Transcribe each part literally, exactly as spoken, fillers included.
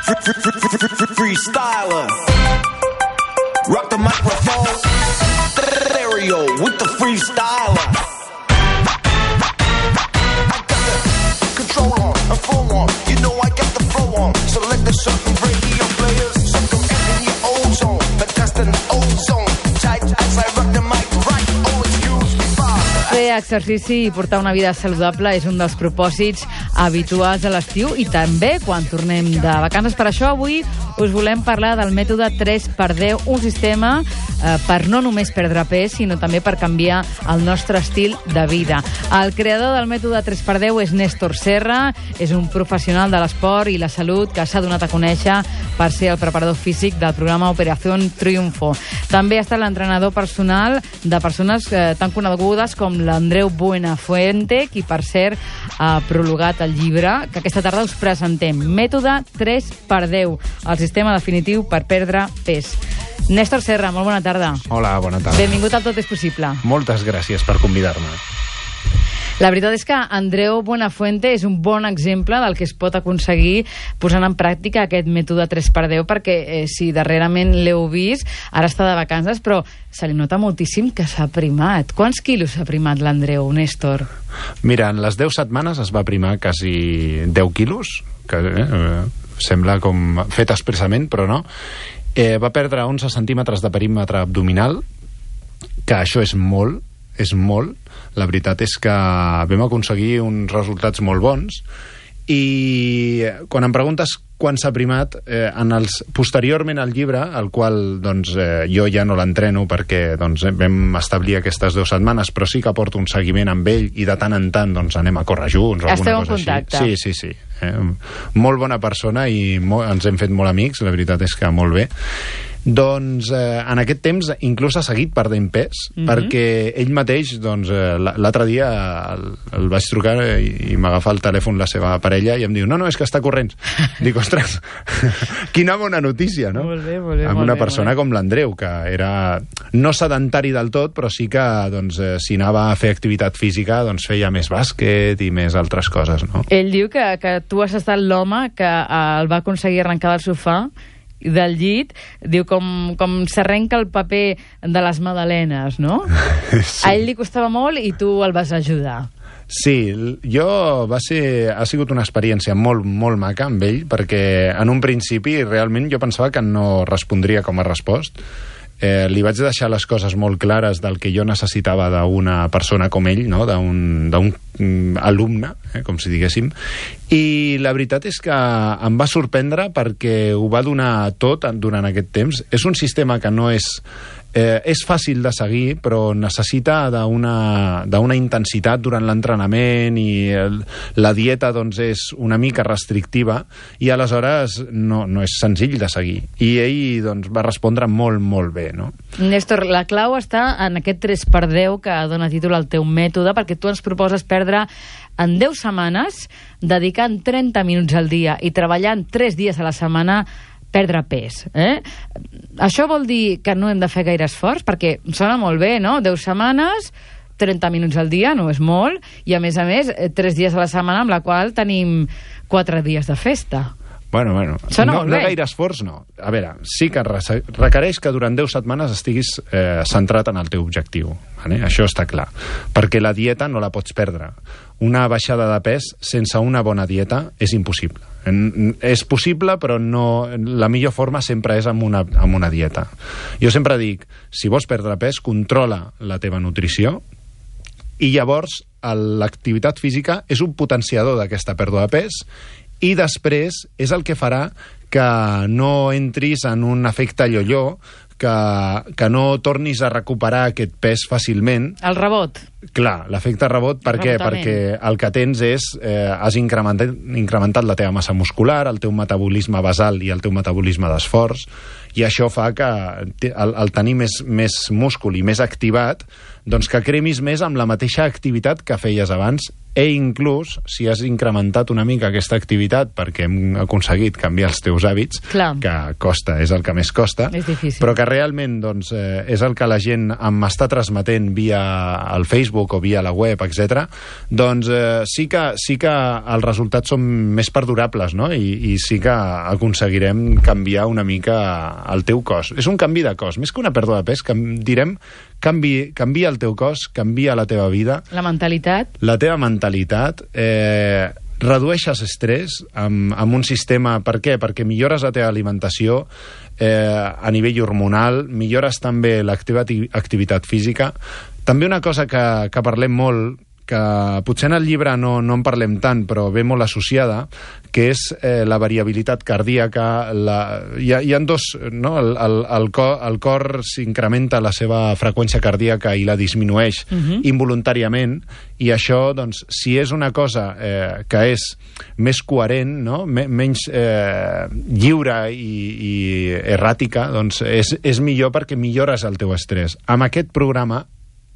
Freestyler. Rock the microphone. Stereo with the freestyler. I got the control on, a flow on. You know I got the flow on. Select the certain radio players. So come in your old zone. But that's the old zone. Tight as I rock the mic right. Oh, excuse me, father. Fer exercici i portar una vida saludable és un dels propòsits habituals a l'estiu i també quan tornem de vacances. Per això avui us volem parlar del mètode tres per deu, un sistema eh, per no només perdre pes, sinó també per canviar el nostre estil de vida. El creador del mètode tres per deu és Néstor Serra, és un professional de l'esport i la salut que s'ha donat a conèixer per ser el preparador físic del programa Operación Triunfo. També ha estat l'entrenador personal de persones eh, tan conegudes com l'Andreu Buenafuente, qui per cert ha prologat el llibre que aquesta tarda us presentem, Mètode tres per deu, el sistema definitiu per perdre pes. Néstor Serra, molt bona tarda. Hola, bona tarda. Benvingut al Tot és possible. Moltes gràcies per convidar-me. La veritat és que Andreu Buenafuente és un bon exemple del que es pot aconseguir posant en pràctica aquest mètode tres per deu, perquè eh, si darrerament l'heu vist, ara està de vacances, però se li nota moltíssim que s'ha primat. Quants quilos s'ha primat l'Andreu, Néstor? Mira, en les deu setmanes es va primar quasi deu quilos, que eh, sembla com fet expressament, però no. Eh, va perdre onze centímetres de perímetre abdominal, que això és molt, és molt. La veritat és que vam aconseguir uns resultats molt bons i quan em preguntes quan s'ha primat, eh, en els, posteriorment al llibre, el qual doncs, eh, jo ja no l'entreno perquè doncs, vam establir aquestes dues setmanes, però sí que porto un seguiment amb ell i de tant en tant doncs, anem a córrer junts o Esteu alguna cosa en contacte. així. Sí, sí, sí. Eh, molt bona persona i molt, ens hem fet molt amics, la veritat és que molt bé. Doncs eh, en aquest temps inclús ha seguit perdent pes, mm-hmm. perquè ell mateix, doncs, eh, l'altre dia el, el vaig trucar i, i m'agafa el telèfon la seva parella i em diu, no, no, és que està corrents. Dic, ostres, quina bona notícia, no? Molt bé, molt bé. Amb molt una bé, persona com l'Andreu, que era no sedentari del tot, però sí que doncs, eh, si anava a fer activitat física doncs feia més bàsquet i més altres coses, no? Ell diu que, que tu has estat l'home que eh, el va aconseguir arrencar del sofà del llit, diu com, com s'arrenca el paper de les magdalenes, no? Sí. A ell li costava molt i tu el vas ajudar. Sí, jo va ser, ha sigut una experiència molt, molt maca amb ell, perquè en un principi realment jo pensava que no respondria com ha respost. Eh, li vaig deixar les coses molt clares del que jo necessitava d'una persona com ell, no? d'un mm, alumne, eh, com si diguéssim, i la veritat és que em va sorprendre perquè ho va donar tot durant aquest temps. És un sistema que no és Eh, és fàcil de seguir, però necessita d'una d'una intensitat durant l'entrenament i el, la dieta doncs, és una mica restrictiva i aleshores no, no és senzill de seguir. I ell doncs, va respondre molt, molt bé, no? Néstor, la clau està en aquest tres per deu que dona títol al teu mètode, perquè tu ens proposes perdre en deu setmanes, dedicant trenta minuts al dia i treballant tres dies a la setmana, perdre pes. Eh? Això vol dir que no hem de fer gaire esforç, perquè sona molt bé, no? deu setmanes, trenta minuts al dia, no és molt, i a més a més, tres dies a la setmana, amb la qual tenim quatre dies de festa. Bueno, bueno, Sona no, molt no bé. gaire esforç, no. A veure, sí que requereix que durant deu setmanes estiguis eh, centrat en el teu objectiu. Vale? Això està clar. Perquè la dieta no la pots perdre. Una baixada de pes sense una bona dieta és impossible. En, és possible, però no, la millor forma sempre és amb una, amb una dieta. Jo sempre dic, si vols perdre pes, controla la teva nutrició i llavors l'activitat física és un potenciador d'aquesta pèrdua de pes i després és el que farà que no entris en un efecte yo-yo, que, que no tornis a recuperar aquest pes fàcilment. El rebot. Clar, l'efecte rebot, per què? Perquè el que tens és, eh, has incrementat, incrementat la teva massa muscular, el teu metabolisme basal i el teu metabolisme d'esforç, i això fa que el, el tenir més, més múscul i més activat, doncs que cremis més amb la mateixa activitat que feies abans i inclús, si has incrementat una mica aquesta activitat perquè hem aconseguit canviar els teus hàbits, Clar. que costa, és el que més costa, És difícil. però que realment doncs, eh, és el que la gent m'està transmetent via el Facebook o via la web, etcètera, doncs eh, sí, que, sí que els resultats són més perdurables, no? I, i sí que aconseguirem canviar una mica el teu cos. És un canvi de cos, més que una pèrdua de pes, que direm canvi, canvia el teu cos, canvia la teva vida, La mentalitat. la teva mentalitat, eh, redueixes estrès amb, amb un sistema... Per què? Perquè millores la teva alimentació eh, a nivell hormonal, millores també la teva activitat física. També una cosa que, que parlem molt, que potser en el llibre no, no en parlem tant, però ve molt associada, que és eh, la variabilitat cardíaca. La, hi, ha, hi ha dos... No? El, el, el cor, el cor s'incrementa la seva freqüència cardíaca i la disminueix uh-huh. involuntàriament, i això, doncs, si és una cosa eh, que és més coherent, no? Me, menys eh, lliure i, i erràtica, doncs és, és millor perquè millores el teu estrès. Amb aquest programa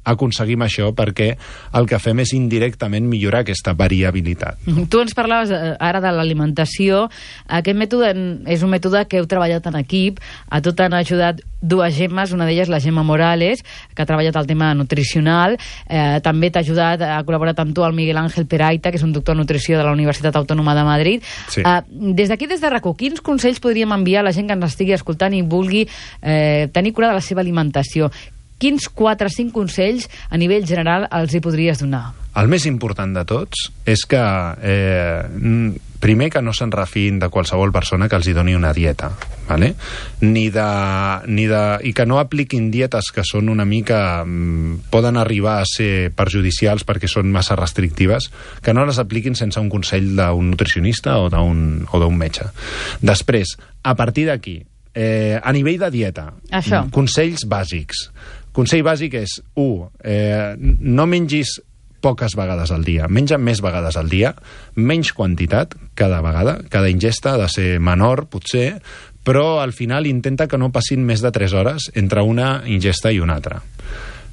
aconseguim això perquè el que fem és indirectament millorar aquesta variabilitat. Tu ens parlaves ara de l'alimentació. Aquest mètode és un mètode que heu treballat en equip. A tu t'han ajudat dues Gemmes, una d'elles la Gemma Morales, que ha treballat el tema nutricional. Eh, també t'ha ajudat, ha col·laborat amb tu el Miguel Ángel Peraita, que és un doctor en nutrició de la Universitat Autònoma de Madrid. Sí. Eh, des d'aquí, des de RAC1, quins consells podríem enviar a la gent que ens estigui escoltant i vulgui eh, tenir cura de la seva alimentació? Quins quatre o cinc consells a nivell general els hi podries donar? El més important de tots és que, eh, primer, que no se'n refin de qualsevol persona que els hi doni una dieta, ¿vale? Ni de, ni de, i que no apliquin dietes que són una mica... poden arribar a ser perjudicials perquè són massa restrictives, que no les apliquin sense un consell d'un nutricionista o d'un o d'un metge. Després, a partir d'aquí, eh, a nivell de dieta, Això. consells bàsics. Consell bàsic és, u, eh, no mengis poques vegades al dia, menja més vegades al dia, menys quantitat cada vegada, cada ingesta ha de ser menor, potser, però al final intenta que no passin més de tres hores entre una ingesta i una altra.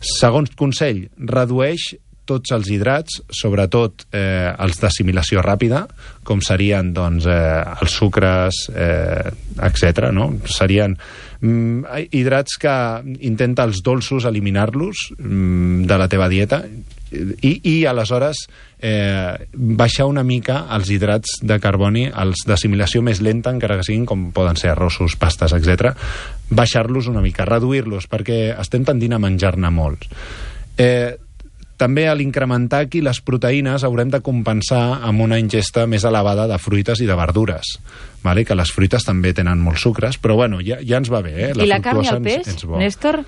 Segon consell, redueix tots els hidrats, sobretot eh, els d'assimilació ràpida, com serien doncs, eh, els sucres, eh, etcètera. No? Serien mm, hidrats que intenta els dolços eliminar-los mm, de la teva dieta i, i aleshores eh, baixar una mica els hidrats de carboni, els d'assimilació més lenta, encara que siguin, com poden ser arrossos, pastes, etcètera. Baixar-los una mica, reduir-los, perquè estem tendint a menjar-ne molts. Eh, També a l'incrementar aquí les proteïnes haurem de compensar amb una ingesta més elevada de fruites i de verdures, vale? Que les fruites també tenen molts sucres, però bueno, ja, ja ens va bé. Eh? La I la carn i el fructosa peix, ens, ens bo. Néstor?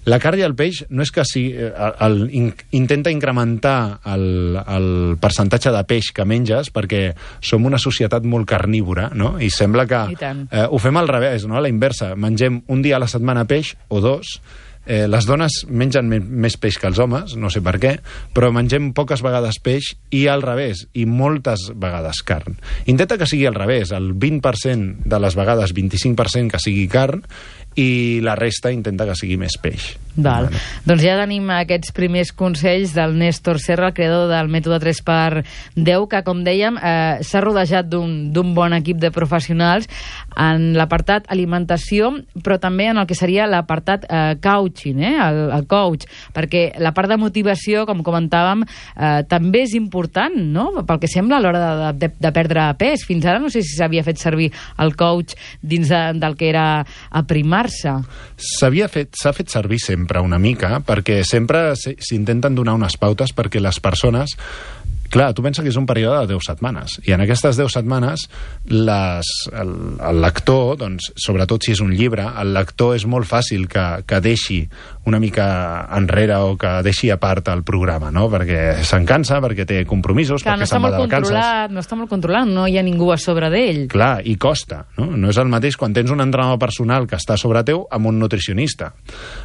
La carn i el peix no és que si, el, el, in, intenta incrementar el, el percentatge de peix que menges, perquè som una societat molt carnívora, no? I sembla que I tant. eh, ho fem al revés, no? A la inversa. Mengem un dia a la setmana peix o dos. Eh, les dones mengen me més peix que els homes, no sé per què, però mengem poques vegades peix i al revés, i moltes vegades carn. Intenta que sigui al revés, el vint per cent de les vegades, vint-i-cinc per cent que sigui carn, i la resta intenta que sigui més peix. Val. Vale. Doncs ja tenim aquests primers consells del Néstor Serra, el creador del mètode tres per deu, que, com dèiem, eh, s'ha rodejat d'un bon equip de professionals en l'apartat alimentació, però també en el que seria l'apartat eh, coaching, eh, el, el coach, perquè la part de motivació, com comentàvem, eh, també és important, no?, pel que sembla, a l'hora de, de, de perdre pes. Fins ara no sé si s'havia fet servir el coach dins de, del que era aprimar. S'havia fet, s'ha fet servir sempre una mica, perquè sempre s'intenten donar unes pautes perquè les persones... Clar, tu pensa que és un període de deu setmanes, i en aquestes deu setmanes les, el, el lector, doncs, sobretot si és un llibre, el lector és molt fàcil que, que deixi una mica enrere o que deixi a part el programa, no? Perquè se'n cansa, perquè té compromisos, Clar, perquè no se'n va de vacances. No està molt controlat, no hi ha ningú a sobre d'ell. Clar, i costa, no? No és el mateix quan tens un entrenador personal que està sobre teu amb un nutricionista.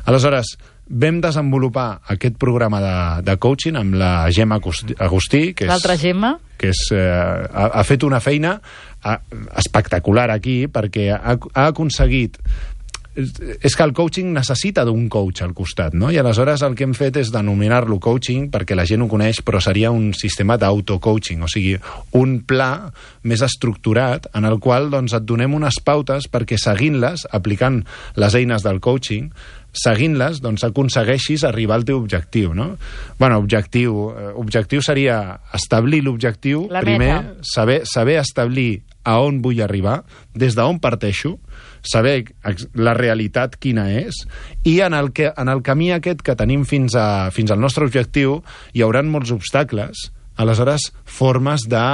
Aleshores, vam desenvolupar aquest programa de, de coaching amb la Gemma Agustí, que és, l'altra Gemma, que és, eh, ha, ha fet una feina a, espectacular aquí, perquè ha, ha aconseguit és que el coaching necessita d'un coach al costat, no? I aleshores el que hem fet és denominar-lo coaching perquè la gent ho coneix, però seria un sistema d'auto-coaching, o sigui, un pla més estructurat en el qual doncs, et donem unes pautes perquè seguint-les, aplicant les eines del coaching, seguint-les, doncs aconsegueixis arribar al teu objectiu, no? Bueno, objectiu, eh, objectiu seria establir l'objectiu, primer, saber, saber establir a on vull arribar, des d'on parteixo, saber la realitat quina és, i en el, que, en el camí aquest que tenim fins, a, fins al nostre objectiu hi haurà molts obstacles, aleshores formes de,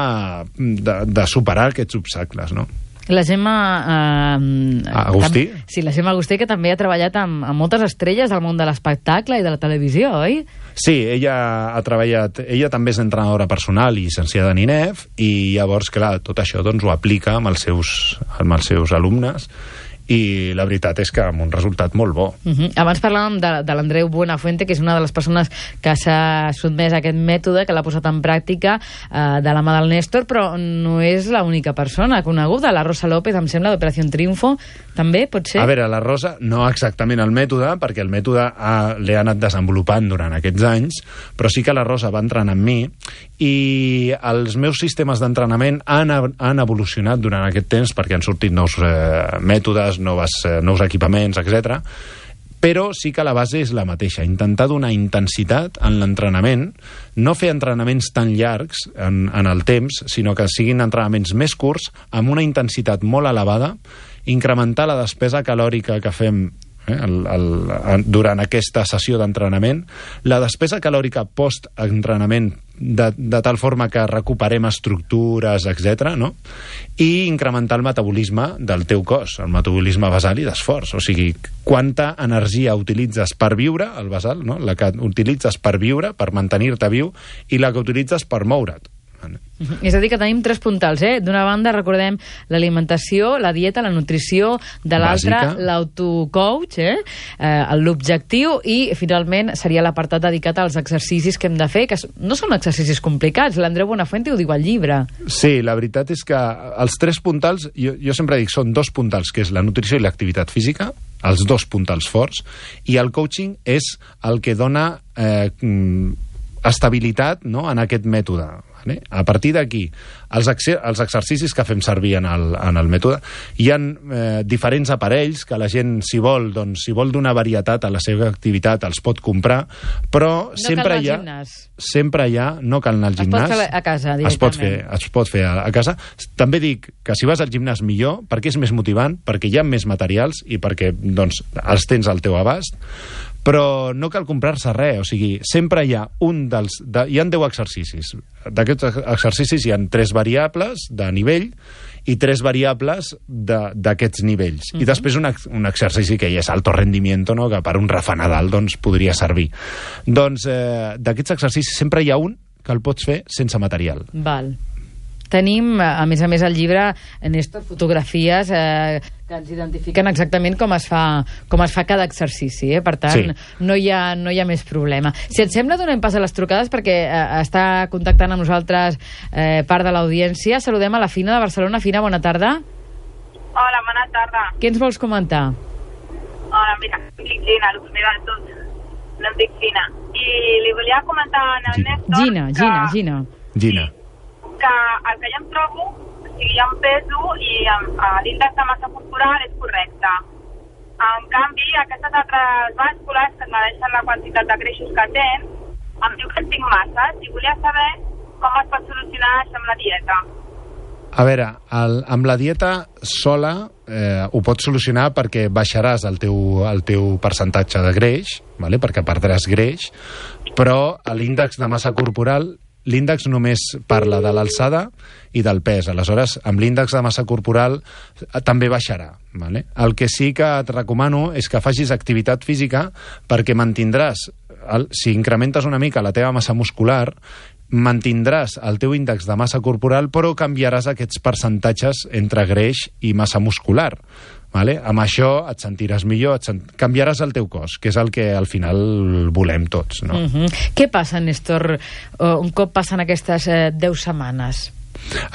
de, de superar aquests obstacles, no? La Gemma... Eh, Agustí? Tam, sí, la Gemma Agustí, que també ha treballat amb, amb moltes estrelles del món de l'espectacle i de la televisió, oi? Sí, ella ha treballat... Ella també és entrenadora personal i llicenciada en I N E F, i llavors, clar, tot això doncs, ho aplica amb els seus, amb els seus alumnes, i la veritat és que amb un resultat molt bo. Uh -huh. Abans parlàvem de, de l'Andreu Buenafuente, que és una de les persones que s'ha sotmès a aquest mètode, que l'ha posat en pràctica eh, de la mà del Néstor, però no és l'única persona coneguda. La Rosa López, em sembla, d'Operació Triunfo, també, pot ser? A veure, la Rosa, no exactament el mètode, perquè el mètode ha, l'he anat desenvolupant durant aquests anys, però sí que la Rosa va entrenar amb mi, i els meus sistemes d'entrenament han, han evolucionat durant aquest temps, perquè han sortit nous eh, mètodes, Noves, eh, nous equipaments, etcètera. Però sí que la base és la mateixa, intentar donar intensitat en l'entrenament, no fer entrenaments tan llargs en, en el temps, sinó que siguin entrenaments més curts, amb una intensitat molt elevada, incrementar la despesa calòrica que fem eh, el, el, durant aquesta sessió d'entrenament, la despesa calòrica post-entrenament, de, de tal forma que recuperem estructures, etcètera, no? I incrementar el metabolisme del teu cos, el metabolisme basal i d'esforç. O sigui, quanta energia utilitzes per viure, el basal, no? La que utilitzes per viure, per mantenir-te viu, i la que utilitzes per moure't. Uh-huh. És a dir, que tenim tres puntals, eh? D'una banda, recordem l'alimentació, la dieta, la nutrició, de l'altra, l'autocoach, eh? eh? L'objectiu, i finalment seria l'apartat dedicat als exercicis que hem de fer, que no són exercicis complicats. L'Andreu Buenafuente ho diu al llibre. Sí, la veritat és que els tres puntals, jo, jo sempre dic, són dos puntals, que és la nutrició i l'activitat física, els dos puntals forts, i el coaching és el que dona eh, estabilitat, no?, en aquest mètode. A partir d'aquí, els, els exercicis que fem servir en el, en el mètode, hi ha eh, diferents aparells que la gent, si vol, doncs, si vol donar varietat a la seva activitat, els pot comprar, però no sempre hi ha... Sempre hi ha... No cal anar al gimnàs. Es pot fer a casa, directament. Es pot fer, es pot fer a, a casa. També dic que si vas al gimnàs millor, perquè és més motivant, perquè hi ha més materials i perquè doncs, els tens al teu abast, però no cal comprar-se res, o sigui, sempre hi ha un dels... De, hi ha deu exercicis. D'aquests exercicis hi ha tres variables de nivell i tres variables d'aquests nivells. Uh-huh. I després un, un exercici que ja és alto rendimiento, no?, que per un rafanadal doncs, podria servir. Doncs eh, d'aquests exercicis sempre hi ha un que el pots fer sense material. Val. Tenim, a més a més, al llibre, Néstor, fotografies eh, que ens identifiquen exactament com es fa, com es fa cada exercici, eh? Per tant, sí. no, hi ha, no hi ha més problema. Si et sembla, donem pas a les trucades, perquè eh, està contactant amb nosaltres eh, part de l'audiència. Saludem a la Fina de Barcelona. Fina, bona tarda. Hola, bona tarda. Què ens vols comentar? Hola, mira, em dic Gina, el primer de tot. No em dic Fina. I li volia comentar al Néstor... Gina, que... Gina, Gina. Gina. que el que jo em trobo, o sigui, jo em peso i l'índex de massa corporal és correcte. En canvi, aquestes altres bàscules que me deixen la quantitat de greixos que tenen, em diu que en tinc masses i volia saber com es pot solucionar això amb la dieta. A veure, el, amb la dieta sola eh, ho pots solucionar perquè baixaràs el teu, el teu percentatge de greix, vale? Perquè perdràs greix, però l'índex de massa corporal, l'índex només parla de l'alçada i del pes. Aleshores, amb l'índex de massa corporal també baixarà. Vale? El que sí que et recomano és que facis activitat física perquè mantindràs, el, si incrementes una mica la teva massa muscular, mantindràs el teu índex de massa corporal, però canviaràs aquests percentatges entre greix i massa muscular. Vale? Amb això et sentiràs millor, et sent... canviaràs el teu cos, que és el que al final volem tots. No? Uh-huh. Què passa, Néstor, un cop passen aquestes eh, deu setmanes?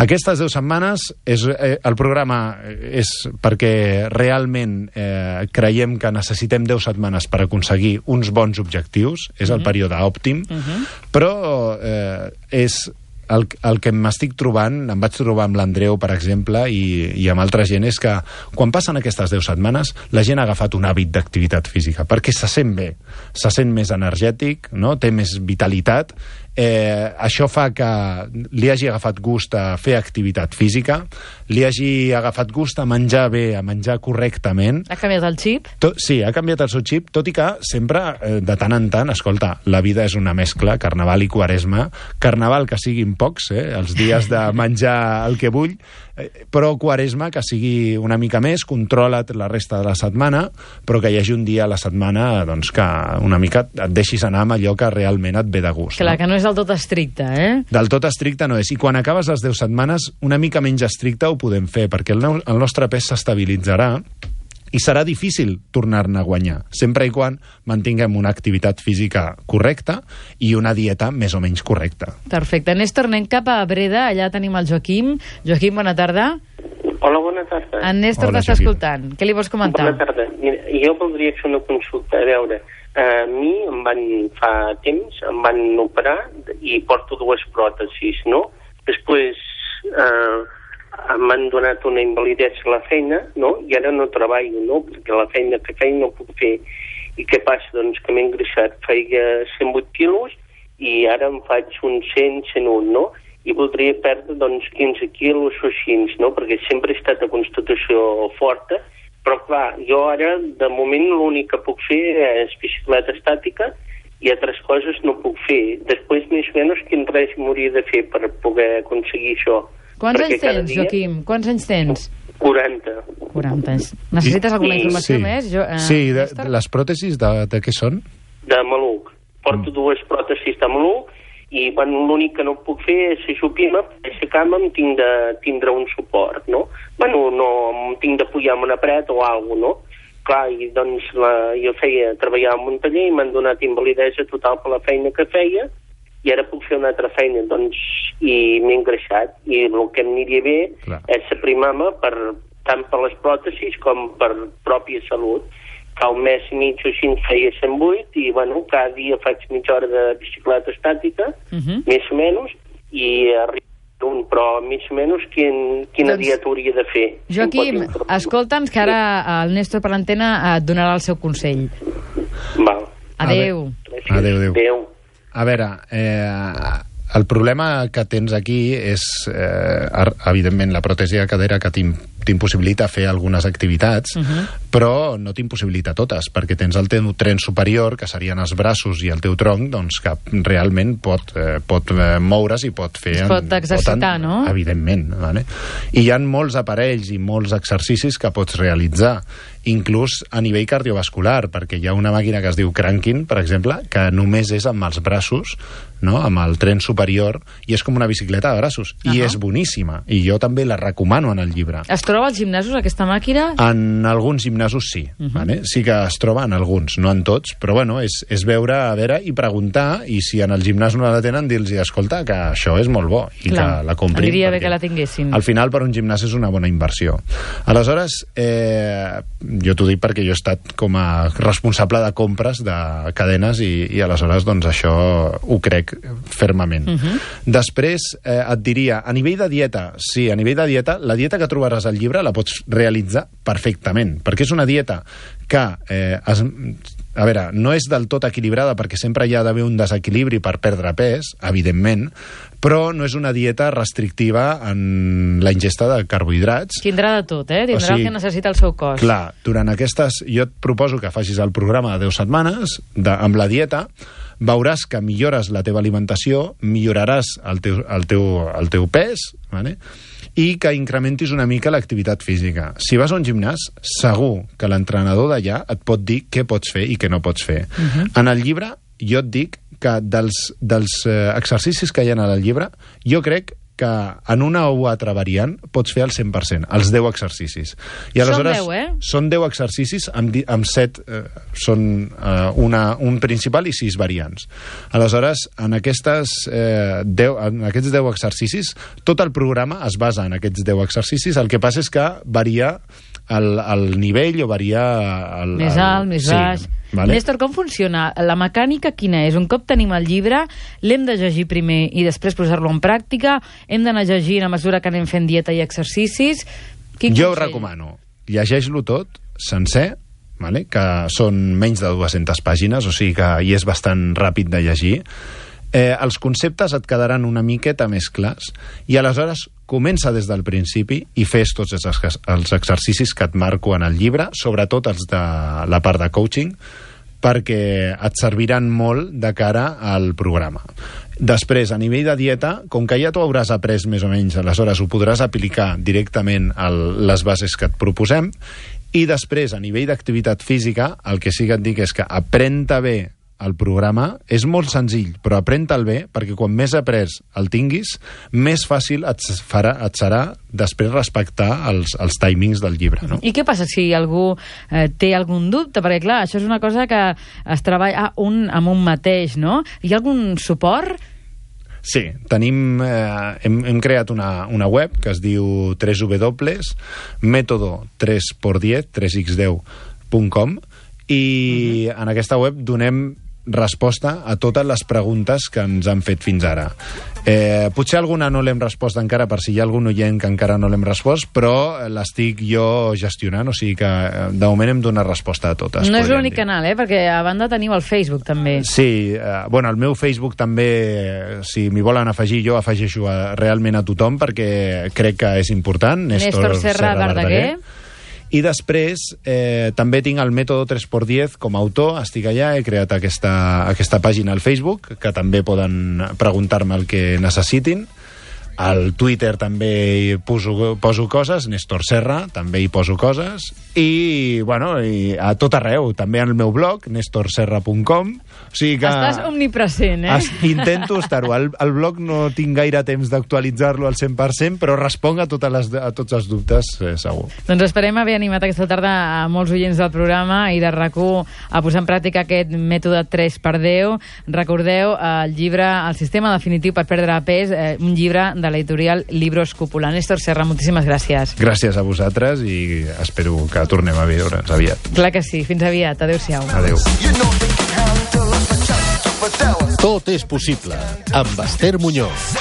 Aquestes deu setmanes, és, eh, el programa és perquè realment eh, creiem que necessitem deu setmanes per aconseguir uns bons objectius, és el període òptim, uh-huh. però eh, és el, el que m'estic trobant, em vaig trobar amb l'Andreu, per exemple, i, i amb altra gent, és que quan passen aquestes deu setmanes, la gent ha agafat un hàbit d'activitat física, perquè se sent bé, se sent més energètic, no? Té més vitalitat. Eh, això fa que li hagi agafat gust a fer activitat física, li hagi agafat gust a menjar bé, a menjar correctament. Ha canviat el xip? Tot, sí, ha canviat el seu xip, tot i que sempre, eh, de tant en tant, escolta, la vida és una mescla, carnaval i quaresma, carnaval que siguin pocs, eh, els dies de menjar el que vull, eh, però quaresma que sigui una mica més, controla't la resta de la setmana, però que hi hagi un dia a la setmana doncs, que una mica et deixis anar amb allò que realment et ve de gust. Clar, no? que no és del tot estricte, eh? Del tot estricte no és. I quan acabes les deu setmanes, una mica menys estricte ho podem fer, perquè el, el nostre pes s'estabilitzarà i serà difícil tornar-ne a guanyar, sempre i quan mantinguem una activitat física correcta i una dieta més o menys correcta. Perfecte. Néstor, anem cap a Breda, allà tenim el Joaquim. Joaquim, bona tarda. Hola, bona tarda. En Néstor t'està escoltant. Què li vols comentar? Bona tarda. Mira, jo voldria fer una consulta. A veure, a mi em van, fa temps, em van operar i porto dues pròtesis, no? Després eh, m'han donat una invalidesa a la feina, no? I ara no treballo, no? Perquè la feina que feia no puc fer. I què passa? Doncs que m'he engreixat. Feia cent vuit quilos i ara em faig uns cent, cent un, no? I voldria perdre, doncs, quinze quilos o així, no? Perquè sempre he estat a constitució forta, però, clar, jo ara, de moment, l'únic que puc fer és bicicleta estàtica i altres coses no puc fer. Després, més o menys, quin règim hauria de fer per poder aconseguir això? Quants anys tens, dia... Joaquim? Quants anys tens? quaranta. quaranta anys. Necessites alguna I... informació sí. més? Jo, eh, sí, de, de les pròtesis de, de què són? De maluc. Porto mm. dues pròtesis de maluc i bueno, l'únic que no puc fer és ajupir-me, per aixecar-me em tinc de tindre un suport, no? Bueno, no, em tinc de pujar amb una paret o alguna cosa, no? Clar, i doncs la, jo feia, treballava en un taller i m'han donat invalidesa total per la feina que feia i ara puc fer una altra feina, doncs, i m'he engreixat. I el que em aniria bé Clar. és aprimar-me per, tant per les pròtesis com per pròpia salut. Fa un mes i mig o així feia cent vuit i, bueno, cada dia faig mitja hora de bicicleta estàtica, uh -huh. més o menys, i arriba un, però més o menys quin, quina doncs, dieta hauria de fer. Joaquim, escolta'ns, que ara el Néstor per l'antena et donarà el seu consell. Val. Adéu. Adéu, adéu. Adéu. A veure, eh, el problema que tens aquí és, eh, evidentment, la pròtesi de cadera que t'impossibilita fer algunes activitats, uh-huh. però no t'impossibilita totes, perquè tens el teu tren superior, que serien els braços i el teu tronc, doncs que realment pot, eh, pot moure's i pot fer... Es pot exercitar, pot, no? Evidentment. Vale? I hi ha molts aparells i molts exercicis que pots realitzar, inclús a nivell cardiovascular, perquè hi ha una màquina que es diu cranking, per exemple, que només és amb els braços, no? Amb el tren superior, i és com una bicicleta de braços, uh-huh. i és boníssima, i jo també la recomano en el llibre. Es troba als gimnasos, aquesta màquina? En alguns gimnasos sí, uh-huh. vale? Sí que es troba en alguns, no en tots, però bueno, és, és veure, a veure, i preguntar, i si en el gimnàs no la tenen, dir-los, escolta, que això és molt bo, i Clar. que la comprin. Aniria bé que la tinguessin. Al final, per un gimnàs és una bona inversió. Aleshores, eh, jo t'ho dic perquè jo he estat com a responsable de compres de cadenes i, i aleshores doncs això ho crec fermament. Uh-huh. Després eh, et diria, a nivell de dieta, sí, a nivell de dieta, la dieta que trobaràs al llibre la pots realitzar perfectament, perquè és una dieta que eh, es, a veure, no és del tot equilibrada perquè sempre hi ha d'haver un desequilibri per perdre pes, evidentment, però no és una dieta restrictiva en la ingesta de carbohidrats. Tindrà de tot, eh? Tindrà o sigui, el que necessita el seu cos. Clar, durant aquestes... Jo et proposo que facis el programa de deu setmanes de, amb la dieta, veuràs que millores la teva alimentació, milloraràs el teu, el teu, el teu pes, vale? I que incrementis una mica l'activitat física. Si vas a un gimnàs, segur que l'entrenador d'allà et pot dir què pots fer i què no pots fer. Uh-huh. En el llibre, jo et dic que dels, dels eh, exercicis que hi ha en el llibre, jo crec que en una o altra variant pots fer el cent per cent, els deu exercicis. I aleshores, són deu, eh? Són deu exercicis amb, amb set, eh, són eh, una, un principal i sis variants. Aleshores, en, aquestes, eh, deu, en aquests deu exercicis, tot el programa es basa en aquests deu exercicis, el que passa és que varia el, el nivell o varia... El, més alt, el, més sí, baix. Vale? Néstor, com funciona? La mecànica quina és? Un cop tenim el llibre, l'hem de llegir primer i després posar-lo en pràctica? Hem d'anar llegint a mesura que anem fent dieta i exercicis? Quin jo consell? ho recomano. Llegeix-lo tot, sencer, vale? Que són menys de dues-centes pàgines, o sigui que hi és bastant ràpid de llegir. Eh, els conceptes et quedaran una miqueta més clars i aleshores comença des del principi i fes tots els, els exercicis que et marco en el llibre, sobretot els de la part de coaching, perquè et serviran molt de cara al programa. Després, a nivell de dieta, com que ja t'ho hauràs après més o menys, aleshores ho podràs aplicar directament a les bases que et proposem, i després, a nivell d'activitat física, el que sí que et dic és que aprèn-te bé el programa, és molt senzill, però aprèn-te'l bé, perquè quan més après el tinguis, més fàcil et, farà, et serà després respectar els, els timings del llibre. No? I què passa si algú eh, té algun dubte? Perquè, clar, això és una cosa que es treballa un amb un mateix, no? Hi ha algun suport? Sí, tenim, eh, hem, hem creat una, una web que es diu w w w punt método tres por diez punt com i uh-huh. en aquesta web donem resposta a totes les preguntes que ens han fet fins ara. Eh, potser alguna no l'hem respost encara, per si hi ha algun oient que encara no l'hem respost, però l'estic jo gestionant, o sigui que de moment hem donat resposta a totes. No és l'únic canal, eh? Perquè a banda teniu el Facebook també. Sí, eh, bueno, el meu Facebook també, si m'hi volen afegir, jo afegeixo a, realment a tothom, perquè crec que és important. Néstor, Néstor Serra, Serra Verdaguer. I després eh, també tinc el Método tres por diez com a autor, estic allà, he creat aquesta, aquesta pàgina al Facebook, que també poden preguntar-me el que necessitin. Al Twitter també hi poso, poso coses, Néstor Serra, també hi poso coses, i, bueno, i a tot arreu, també al meu blog, néstor serra punt com. O sigui que estàs omnipresent, eh? Es, intento estar-ho. El, el blog no tinc gaire temps d'actualitzar-lo al cent per cent, però responc a, totes les, a tots els dubtes, eh, segur. Doncs esperem haver animat aquesta tarda a molts oients del programa i de RAC u a posar en pràctica aquest mètode tres per deu. Recordeu el llibre El sistema definitiu per perdre pes, eh, un llibre de l'editorial Libros Cúpula. Néstor Serra, moltíssimes gràcies. Gràcies a vosaltres i espero que tornem a veure'ns aviat. Clar que sí. Fins aviat. Adéu-siau. Adéu. Tot és possible amb Esther Muñoz.